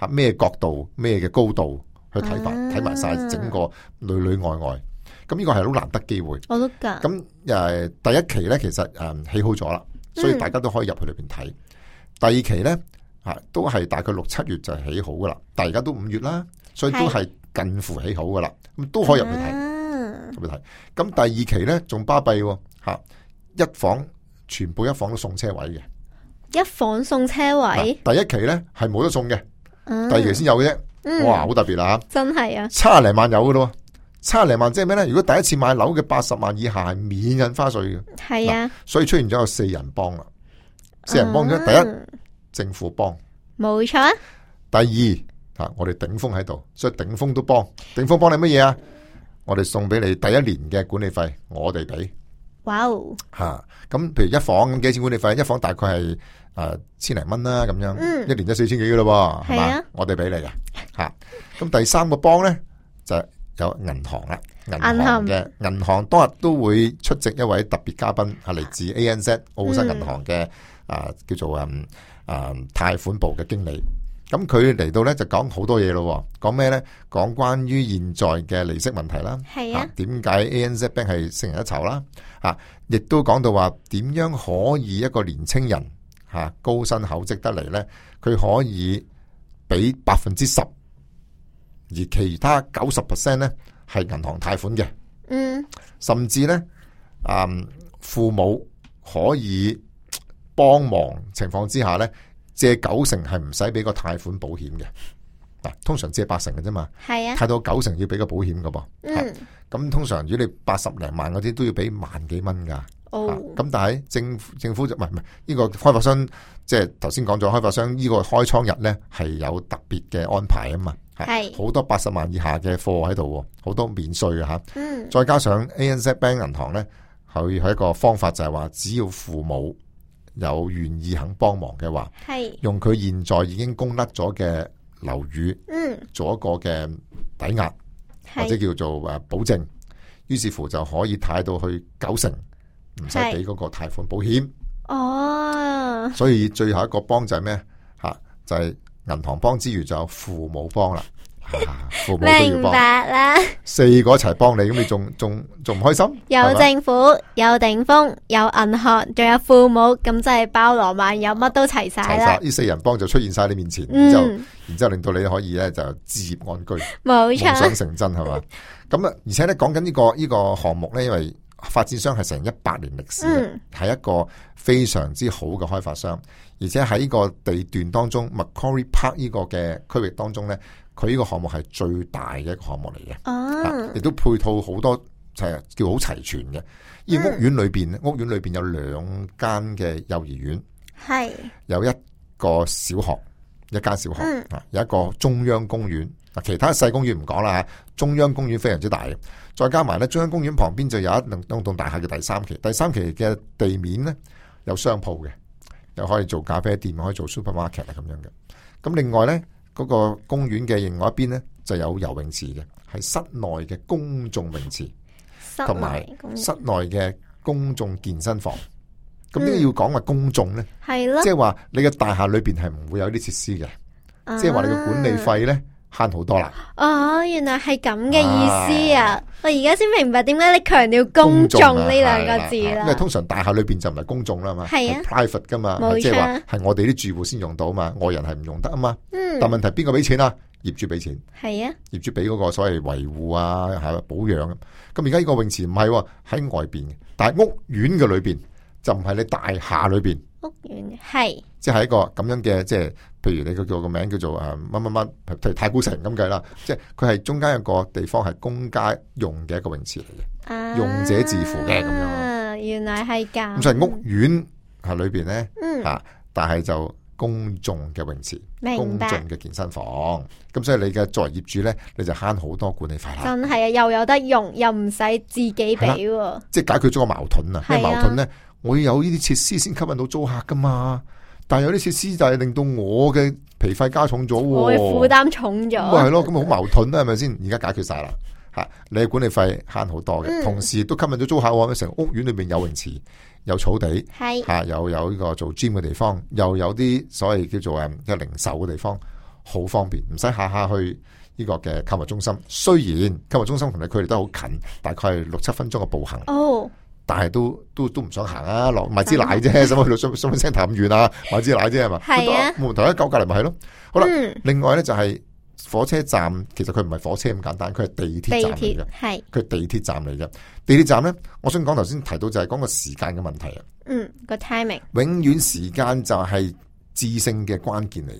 咩角度，咩嘅高度去睇法，睇埋晒整個裏裏外外。咁呢個係好難得機會。我都噶。咁第一期咧，其實起好咗啦，所以大家都可以入去裏邊睇。第2期咧，都係大概6、7月就起好噶啦，但係而家都5月啦，所以都係近乎起好噶啦，咁都可以入去睇，入去睇。咁第2期咧仲巴閉，一房全部一房都送車位嘅，一房送車位。第1期咧係冇得送嘅，第2期先有嘅啫。哇，好特別啦，真係啊，70零萬有噶咯，70零萬即係咩咧？如果第一次買樓嘅80萬以下係免印花稅嘅，係啊，所以出現咗有4人幫啦。4人幫咗，第一政府幫，冇錯。第2我哋頂峰喺度，所以頂峰都幫。頂峰幫你乜嘢啊？我哋送俾你第1年嘅管理費，我哋俾。哇哦！咁譬如一房咁幾錢管理費？一房大概係千零蚊啦，咁樣，一年就4000幾噶咯，係嘛？我哋俾你嘅吓。咁第3個幫咧就有銀行啦，銀行當日都會出席一位特別嘉賓，係嚟自 ANZ 澳新銀行嘅。叫做貸款部嘅經理，咁佢嚟到咧就講好多嘢咯，講咩咧？講關於現在嘅利息問題啦，係啊，點解 ANZ Bank 係勝人一籌啦？亦都講到話點樣可以一個年青人高薪厚職得嚟咧，佢可以俾10%，而其他90%咧係銀行貸款嘅，甚至咧父母可以幫忙情況之下咧，借90%係唔使俾個貸款保險嘅，通常借80%嘅啫嘛，係啊，貸到90%要俾個保險噶噃，咁通常如果你80零萬嗰啲都要俾萬幾蚊噶，咁但係政府就唔係呢個開發商，即係頭先講咗開發商呢個開倉日咧係有特別嘅安排啊嘛，係好多80萬以下嘅貨喺度，好多免稅啊吓，再加上 ANZ Bank 銀行咧，佢係一個方法就係話，只要父母有願意肯幫忙嘅話，用佢現在已經供甩咗嘅樓宇，做一個嘅抵押或者叫做保證，於是乎就可以貸到去90%，唔使俾嗰個貸款保險。哦，所以最後一個幫就係咩？就係銀行幫之餘，就有父母幫啦。父母都要幫，明白啦。4個一齊幫你，咁你仲唔開心？有政府，有頂峰，有銀行，仲有父母，咁就係包羅萬有，乜都齊晒啦。呢4人幫就出現晒你面前，然之後令到你可以咧就置業安居，冇錯，夢想成真係嘛？咁啊，而且咧講緊呢個項目咧，因為發展商係成100年歷史嘅，係一個非常之好嘅開發商，而且喺呢個地段當中 Macquarie Park 呢個嘅區域當中呢，佢呢個項目係最大嘅一個項目嚟嘅，亦都配套好多係叫好齊全嘅。而屋苑裏邊有2間嘅幼兒園，係有一個小學，有一個中央公園。其他細公園唔講啦，中央公園非常之大嘅，再加埋咧中央公園旁邊就有一棟大廈嘅第三期嘅地面咧有商鋪嘅，又可以做咖啡店，可以做 supermarket 咁樣嘅。咁另外咧嗰個公園嘅另外一邊咧就有游泳池嘅，係室內嘅公眾泳池，同埋室內嘅公眾健身房。咁點解要講話公眾咧？係咯，即係話你嘅大廈裏邊係唔會有啲設施嘅，即係話你嘅管理費咧慳好多啦！哦，原來係咁嘅意思啊！我而家先明白點解你強調公眾呢兩個字啦。因為通常大廈裏邊就唔係公眾啦嘛，係 private 噶嘛，即係話係我哋啲住戶先用到嘛，外人係唔用得啊嘛。但問題邊個俾錢啊？業主俾錢。係啊，業主俾嗰個所謂維護啊，係保養。咁而家呢個泳池唔係喺外邊嘅，但係屋苑嘅裏邊就唔係你大廈裏邊。屋苑係即係一個咁樣嘅，即係譬如你個名叫做乜乜乜，譬如太古城咁計啦，即係佢係中間有個地方係公家用嘅一個泳池嚟嘅，用者自負嘅咁樣。原來係咁。咁所以屋苑喺裏邊咧，但係就公眾嘅泳池，公眾嘅健身房。咁所以你嘅作為業主咧，你就慳好多管理費啦。真係啊，又有得用，又唔使自己俾。即係解決咗個矛盾啊！咩矛盾咧？我要有呢啲設施先吸引到租客噶嘛，但係有啲設施就係令到我嘅皮費加重咗，我嘅負擔重咗，係咯，咁好矛盾啦，係咪先？而家解決晒啦，吓你嘅管理費慳好多嘅，同時都吸引咗租客，成屋苑裏面有泳池、有草地，係吓又有呢個做 gym 嘅地方，又有啲所謂叫做嘅零售嘅地方，好方便，唔使下下去呢個嘅購物中心。雖然購物中心同你距離都好近，大概係6-7分鐘嘅步行。哦。但係都唔想行啊，落買支奶啫，使乜去到shopping centre咁遠啊？買支奶啫係嘛？係啊，冇問題，一舊隔籬咪係咯。好啦，另外咧就係火車站，其實佢唔係火車咁簡單，佢係地鐵站嚟嘅，係佢係地鐵站嚟嘅。地鐵站咧，我想講頭先提到就係講個時間嘅問題啊。個 timing 永遠時間就係致勝嘅關鍵嚟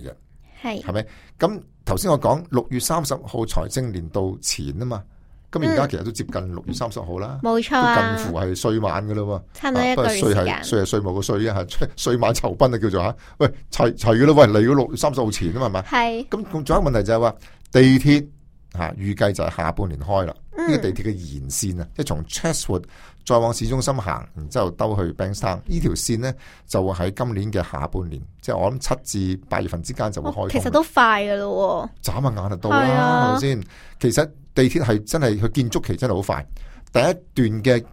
嘅，係咪？咁頭先我講6月30號財政年度前啊嘛。咁而家其實都接近6月30號啦，冇錯啊，近乎係歲晚噶啦，差唔多一個月時間。稅係稅務個稅啊，歲晚酬賓啊叫做吓，喂齊噶啦，喂嚟到6月30號前啊嘛，係。咁仲有一個問題就係話地鐵吓，預計就係下半年開啦。呢個地鐵嘅延線啊，即係從 Chatswood 再往市中心行，然之後兜去 Bankstown 呢條線呢，就會喺今年嘅下半年，即係我諗7至8月份之間就會開通。其實都快噶咯，眨下眼就到啦，係咪先？其實地鐵係真係佢建築期真係好快，第一段嘅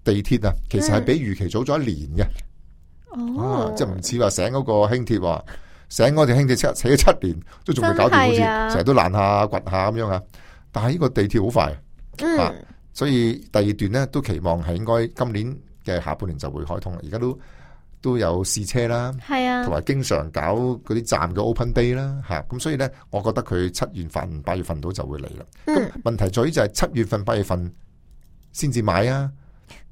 地鐵啊，其實係比預期早咗1年嘅。即係唔似話醒嗰個輕鐵話，醒嗰條輕鐵扯咗7年都仲未搞掂，好似成日都爛下掘下咁樣啊。但係呢個地鐵好快，所以第二段呢都期望係應該今年嘅下半年就會開通啦。而家都有試車啦，係啊，同埋經常搞嗰啲站嘅 open day 啦，吓咁所以咧，我覺得佢7月份、8月份到就會嚟啦。咁問題在於就係7月份、8月份先至買啊，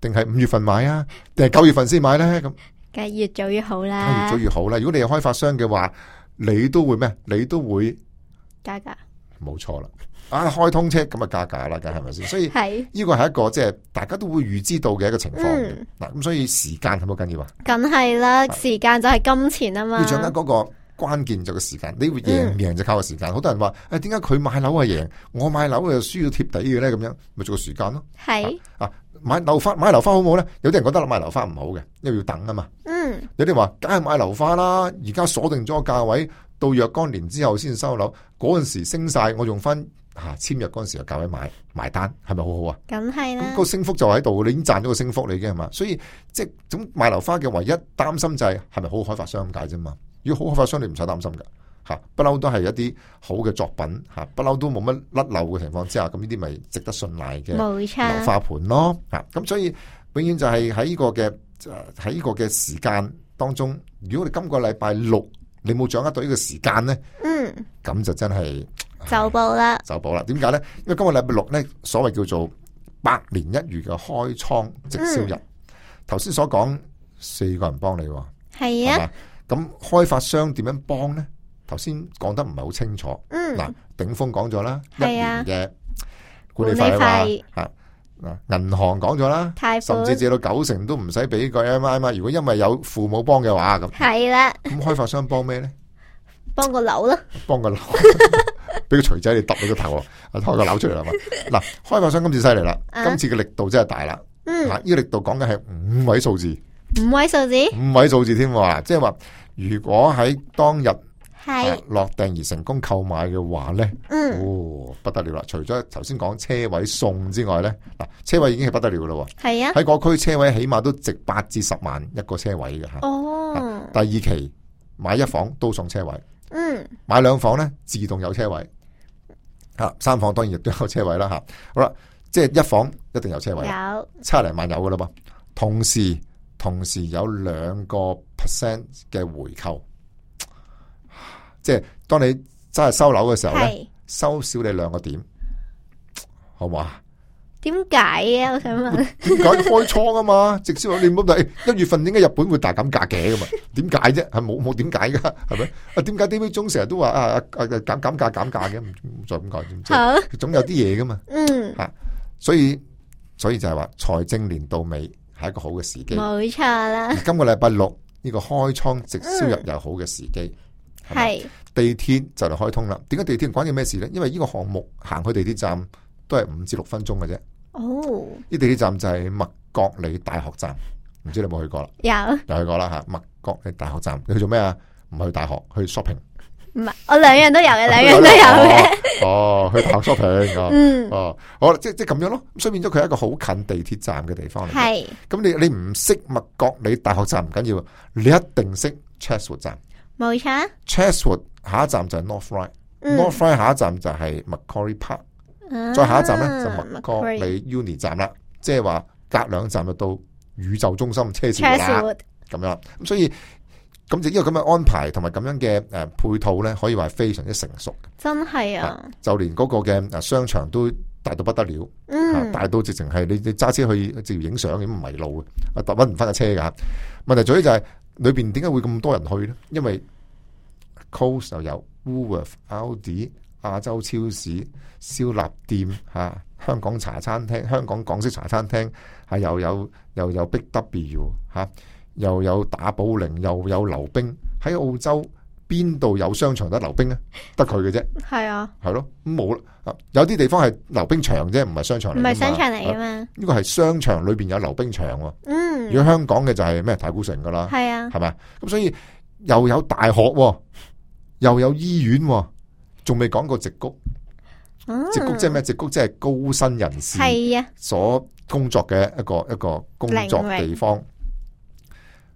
定係5月份買啊，定係9月份先買咧？咁梗係越早越好啦，越早越好啦。如果你係開發商嘅話，你都會咩？你都會加價，冇錯啦。開通車咁啊加價啦，梗係咪先？所以呢個係一個即係大家都會預知到嘅一個情況。嗱，咁所以時間係咪好緊要啊？梗係啦，時間就係金錢啊嘛。要掌握嗰個關鍵就係個時間，你會贏唔贏就靠個時間。好多人話點解佢買樓係贏，我買樓又輸到貼底嘅咧？咁樣咪做個時間咯。係買樓花好唔好咧？有啲人覺得買樓花唔好嘅，因為要等啊嘛。有啲話梗係買樓花啦，而家鎖定咗個價位，到若干年之後先收樓，嗰陣時升晒，我用翻。簽約嗰陣時嘅價位買單，係咪好好啊？梗係啦，咁個升幅就喺度，你已經賺咗個升幅，你已經係嘛？所以即係咁買樓花嘅唯一擔心就係咪好開發商咁解啫嘛？如果好開發商，你唔使擔心噶吓，不嬲都係一啲好嘅作品吓，不嬲都冇乜甩漏嘅情況之下，咁呢啲咪值得信賴嘅樓花盤咯吓。咁所以永遠就係喺呢個嘅時間當中，如果你今個禮拜6你冇掌握到呢個時間咧，咁就真係。走寶啦，點解咧？因為今個禮拜6咧，所謂叫做百年一遇嘅開倉直銷日。頭先所講4個人幫你，係啊，咁開發商點樣幫呢？頭先講得唔係好清楚。嗱，鼎豐講咗啦，1年嘅管理費啊，銀行講咗啦，甚至借到90%都唔使俾個 MI 嘛。如果因為有父母幫嘅話，咁係啦。咁開發商幫咩呢？幫個樓咯，幫個樓，俾個錘仔你揼你個頭，開個樓出嚟啦嘛。嗱，開發商今次犀利啦，今次嘅力度真係大啦。呢個力度講緊係5位數字，5位數字，5位數字添喎。即係話，如果喺當日落訂而成功購買嘅話咧，不得了啦！除咗頭先講車位送之外咧，嗱，車位已經係不得了噶啦。係啊，喺嗰區車位起碼都值8至10萬一個車位嘅吓。哦，第二期買1房都送車位，買2房咧自動有車位，吓3房當然亦都有車位啦吓。好啦。即係1房一定有車位，有70零萬有噶啦噃，同時有2% 嘅回扣，即係當你真係收樓嘅時候咧，收少你2個點，好唔好啊？點解啊？我想問，點解開倉啊嘛？直銷你唔好睇1月份點解日本會大減價嘅嘛？點解啫？係冇點解噶？係咪？啊點解 David 中成日都話減價嘅？唔再咁講，總有啲嘢噶嘛？所以就係話財政年度尾係一個好嘅時機，冇錯啦。今個禮拜6呢個開倉直銷日又好嘅時機，係地鐵就嚟開通啦。點解地鐵關鍵咩事呢？因為呢個項目行去地鐵站都係5至6分鐘嘅啫。哦，呢地鐵站就係麥覺理大學站，唔知你有冇去過啦？有去過啦吓。麥覺理大學站你去做咩啊？唔去大學，去 shopping。唔係，我2樣都有嘅，2樣都有嘅。去大學 shopping。好，即係咁樣咯。所以變咗佢係一個好近地鐵站嘅地方嚟。係。咁你唔識麥覺理大學站唔緊要，你一定識 Chatswood 站。冇錯。Chatswood 下一站就係 North Ryde，North Ryde 下一站就係 Macquarie Park，再下一站咧就麥覺理 Uni 站啦。即係話隔2站就到宇宙中心車士活啦。咁樣咁所以。咁就呢個咁嘅安排同埋咁樣嘅配套咧，可以話係非常之成熟。真係啊！就連嗰個嘅商場都大到不得了，大到直情係你揸車去直接影相咁迷路嘅，搵唔翻架車噶。問題在於就係裏邊點解會咁多人去咧？因為 Coles 又有 Woolworth、Aldi、亞洲超市、燒臘店香港茶餐廳、香港港式茶餐廳又有 Big W 又有打保齡，又有溜冰。喺澳洲邊度有商場得溜冰咧？得佢嘅啫。係啊，係咯，冇啦。有啲地方係溜冰場啫，唔係商場嚟。唔係商場嚟噶嘛？呢個係商場裏邊有溜冰場。如果香港嘅就係咩太古城噶啦。係啊，係咪？咁所以又有大學，又有醫院，仲未講過矽谷。矽谷即係咩？矽谷即係高薪人士所工作嘅一個工作地方。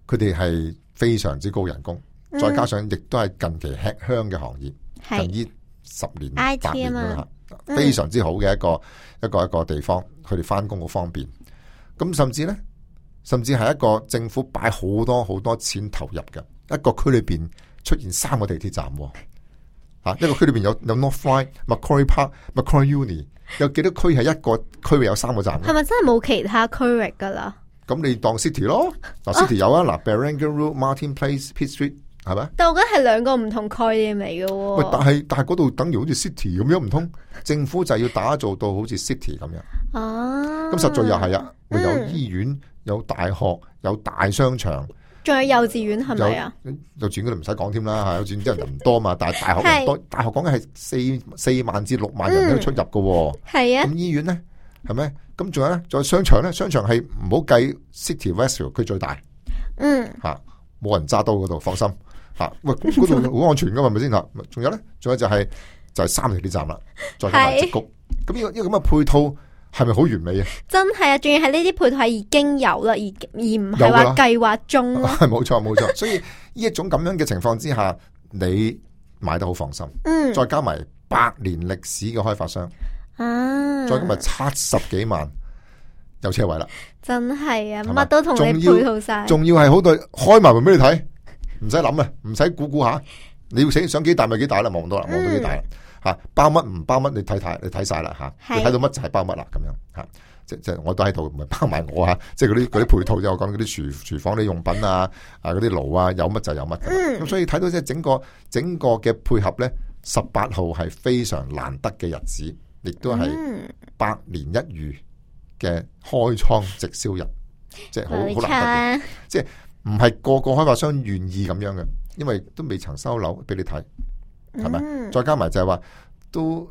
佢哋係非常之高人工，再加上亦都係近期吃香嘅行業，近呢10年8年啦，非常之好嘅一個地方，佢哋翻工好方便。咁甚至係一個政府擺好多錢投入嘅一個區裏邊出現3個地鐵站，一個區裏邊有 North Ryde、Macquarie Park、Macquarie Uni， 有幾多區係一個區域有3個站？係咪真係冇其他區域噶啦？咁你當 City 咯，City 有啊，Barangaroo Road、Martin Place、Pitt Street 係咪？但我覺得係2個唔同概念嚟嘅。喂，但係嗰度等於好似 City 咁樣，唔通政府就要打造到好似 City 咁樣？哦，咁實在又係啊，有醫院、有大學、有大商場，仲有幼稚園係咪啊？幼稚園嗰度唔使講添啦，幼稚園啲人唔多嘛，但係大學人多，大學講嘅係4萬至6萬人都出入嘅。係啊，咁醫院咧係咪？咁仲有咧，仲有商場咧，商場係唔好計 City Westview， 佢最大，冇人揸刀嗰度，放心喂，嗰度好安全噶嘛，係咪先吓？仲有咧，仲有就係3地鐵站啦，再加埋矽谷，咁呢個咁嘅配套係咪好完美啊？真係啊，仲要係呢啲配套係已經有啦，而唔係話計劃中咯。係冇錯，所以呢一種咁樣嘅情況之下，你買得好放心，再加埋100年歷史嘅開發商。再今日70幾萬有車位啦，真係啊，乜都同你配套晒，仲要係好對開埋門俾你睇，唔使諗啊，唔使估下，你要想幾大咪幾大啦，望唔到啦，望到幾大啦，包乜唔包乜你睇晒啦，你睇到乜就係包乜啦，咁樣即我都喺度，唔係包埋我啊，即係嗰啲配套，即係我講嗰啲廚房啲用品啊，嗰啲爐啊，有乜就有乜。咁所以睇到即係整個嘅配合咧，18號係非常難得嘅日子，亦都係百年一遇嘅開倉直銷日，即係好難得嘅，即係唔係個個開發商願意咁樣嘅，因為都未曾收樓俾你睇，係咪？再加埋就係話都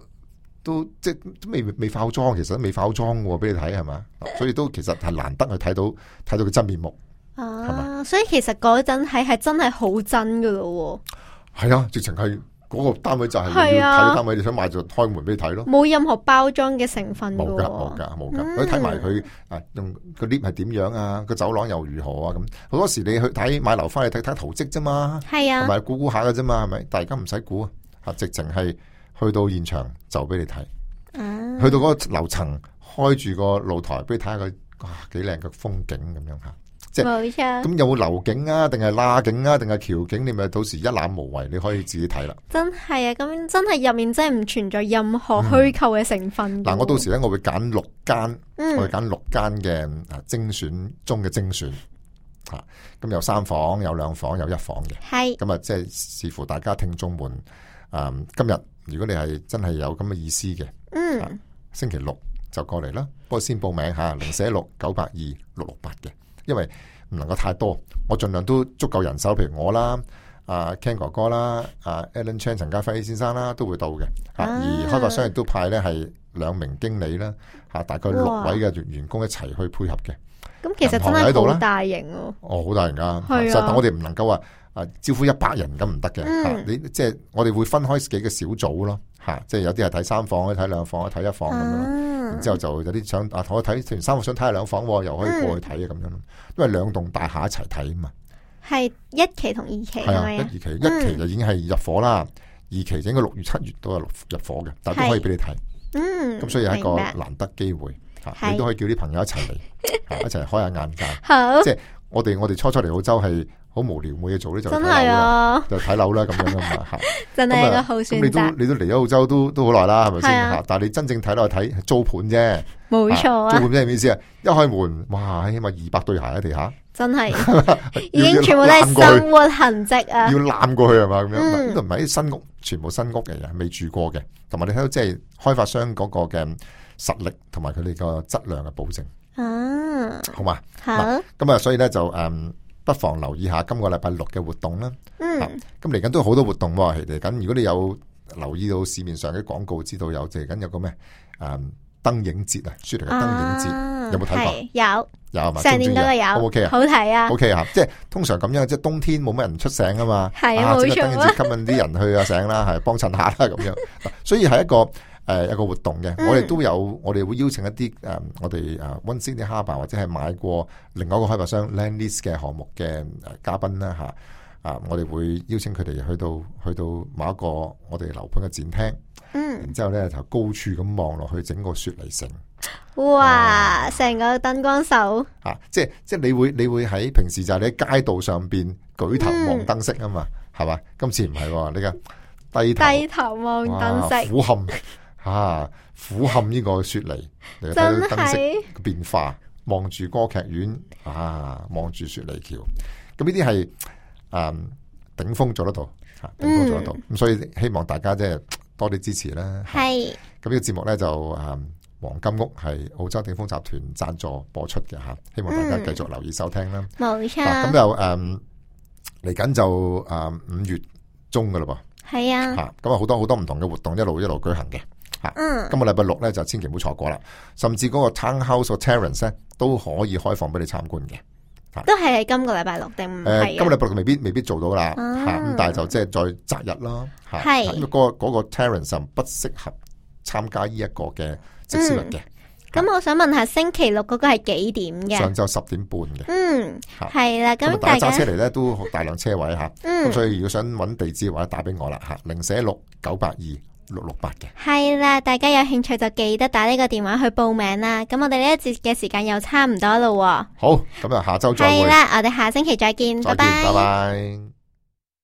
即係都未化妝，其實都未化妝喎，俾你睇係嘛？所以都其實係難得去睇到佢真面目，係嘛？所以其實嗰陣係真係好真噶咯，係啊，直情係嗰個單位就係你要睇單位，你想買就開門俾你睇咯，冇任何包裝嘅成分噶，冇噶，你睇埋佢用個 lift 係點樣啊，個走廊又如何啊，咁好多時你去睇買樓翻去睇圖則啫嘛，係啊，同埋估下噶啫嘛，係咪？但係而家唔使估啊，直情係。去到現場就俾你睇，去到嗰個樓層開住個露台俾你睇下佢，哇幾靚嘅風景咁樣吓，即係咁有冇樓景啊，定係罅景啊，定係橋景？你咪到時一覽無遺，你可以自己睇啦。真係啊，咁真係入面真係唔存在任何虛構嘅成分。嗱，我到時咧我會揀6間，我會揀6間嘅精選中嘅精選，吓咁有3房、有2房、有1房嘅，係咁啊，即係視乎大家聽眾們今日。如果你係真係有咁嘅意思嘅，星期6就過嚟啦。不過先報名吓，046-982-668嘅，因為唔能夠太多，我盡量都足夠人手。譬如我啦，Ken 哥哥啦，Alan Chan 陳家輝先生啦，都會到嘅。而開發商亦都派咧係2名經理啦，大概6位嘅員工一齊去配合嘅。咁其實真係好大型哦！好大型噶，但我哋唔能夠話。招呼100人咁唔得嘅，你即係我哋會分開幾個小組咯，即係有啲係睇3房，睇2房，睇1房咁樣，然之後就有啲想同我睇完3房想睇下2房，又可以過去睇啊咁樣，因為2棟大廈一齊睇啊嘛。係1期同2期係咪啊？1、2期，1期就已經係入伙啦，2期就應該6月、7月都係入伙嘅，但係都可以俾你睇。咁所以係一個難得機會，你都可以叫啲朋友一齊嚟，一齊開下眼界。即係我哋初嚟澳洲係。好無聊冇嘢做咧，就睇樓啦，就睇樓啦咁樣噶嘛吓，真係一個好選擇。你都嚟咗澳洲都好耐啦，係咪先吓？但係你真正睇落去睇租盤啫，冇錯。租盤即係咩意思啊？一開門，哇，起碼200對鞋喺地下，真係已經全部都係生活痕跡啊！要攬過去係嘛咁樣？呢度唔係啲新屋，全部新屋嘅人未住過嘅，同埋你睇到即係開發商嗰個嘅實力同埋佢哋個質量嘅保證。好嘛，好咁啊，所以咧就不妨留意下今個禮拜6嘅活動啦。咁嚟緊都有好多活動喎。嚟緊如果你有留意到市面上嘅廣告，知道有嚟緊有個咩燈影節啊，雪梨嘅燈影節，有冇睇過？有係嘛？上年嗰個有 ，OK 啊，好睇啊 ，OK 啊。即係通常咁樣，即係冬天冇乜人出醒啊嘛。係啊，冇錯。燈影節吸引啲人去啊醒啦，係幫襯下啦咁樣。所以係一個一個活動嘅，我哋都有，我哋會邀請一啲我哋One Sydney Harbour或者係買過另外一個開發商 Lendlease 嘅項目嘅嘉賓啦吓，我哋會邀請佢哋去到某一個我哋樓盤嘅展廳，然之後咧就高處咁望落去整個雪梨城，哇，成個燈光秀即係你會喺平時就係你喺街道上邊舉頭望燈飾啊嘛，係嘛？今次唔係你嘅低頭望燈飾，俯瞰俯瞰呢個雪梨，你睇到燈飾嘅變化，望住歌劇院望住雪梨橋，咁呢啲係頂峰做得到，頂峰做得到，咁所以希望大家即係多啲支持啦。係咁呢個節目咧就黃金屋係澳洲鼎豐集團贊助播出嘅吓，希望大家繼續留意收聽啦。冇錯。咁就嚟緊就5月中噶啦噃。係啊。咁啊好多唔同嘅活動一路舉行嘅。今個禮拜6咧就千祈唔好錯過啦，甚至嗰個 Townhouse 或 Terrace 咧都可以開放俾你參觀嘅，都係喺今個禮拜6定唔係？今個禮拜6未必做到啦，咁但係就即係再擇日啦，係咁嗰個 Terrace 就不適合參加呢一個嘅直銷日嘅。咁我想問下星期6嗰個係幾點嘅？上晝10點半嘅。係啦，咁大家揸車嚟咧都大量車位吓，咁所以如果想揾地址嘅話，打俾我啦吓，046-982-668嘅。係啦，大家有興趣就記得打呢個電話去報名啦。咁我哋呢一節嘅時間又差唔多咯。好，咁啊下周再會。係啦，我哋下星期再見，拜拜。